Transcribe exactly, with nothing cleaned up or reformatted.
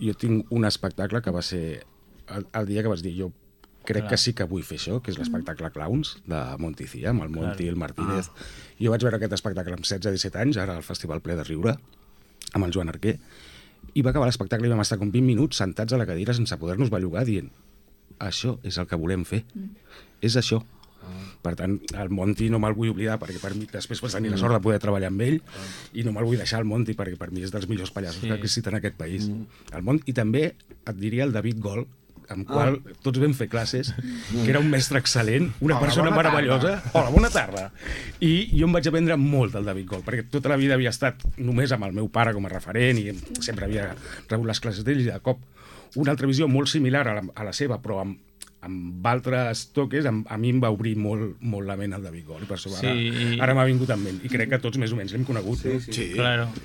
jo tinc un espectacle que va ser el, el dia que vas dir jo crec que sí que vull fer això, que és l'espectacle Clowns de Monty Cia, amb el Monty i el Martínez. Ah. Jo vaig veure aquest espectacle amb setze disset anys, ara al Festival Ple de Riure, amb el Joan Arquer, i va acabar l'espectacle i vam estar com vint minuts sentats a la cadira sense poder-nos bellugar dient això és el que volem fer, mm. és això. Per tant, el Monty no me'l vull oblidar perquè per mi després vaig tenir la sort de poder treballar amb ell i no me'l vull deixar el Monty perquè per mi és dels millors pallassos sí. que ha existit en aquest país. Mm. El Monty, i també et diria el David Gol, amb qual ah. tots vam fer classes, que era un mestre excel·lent, una Hola, persona meravellosa. Tarda. Hola, bona tarda. I jo em vaig aprendre molt del David Gol, perquè tota la vida havia estat només amb el meu pare com a referent i sempre havia rebut les classes d'ell i de cop una altra visió molt similar a la, a la seva, però amb, amb altres toques, amb, a mi em va obrir molt, molt la ment el David Gol, i per això sí. ara, ara m'ha vingut en ment. I crec que tots més o menys l'hem conegut. Sí, no? sí, sí. Claro.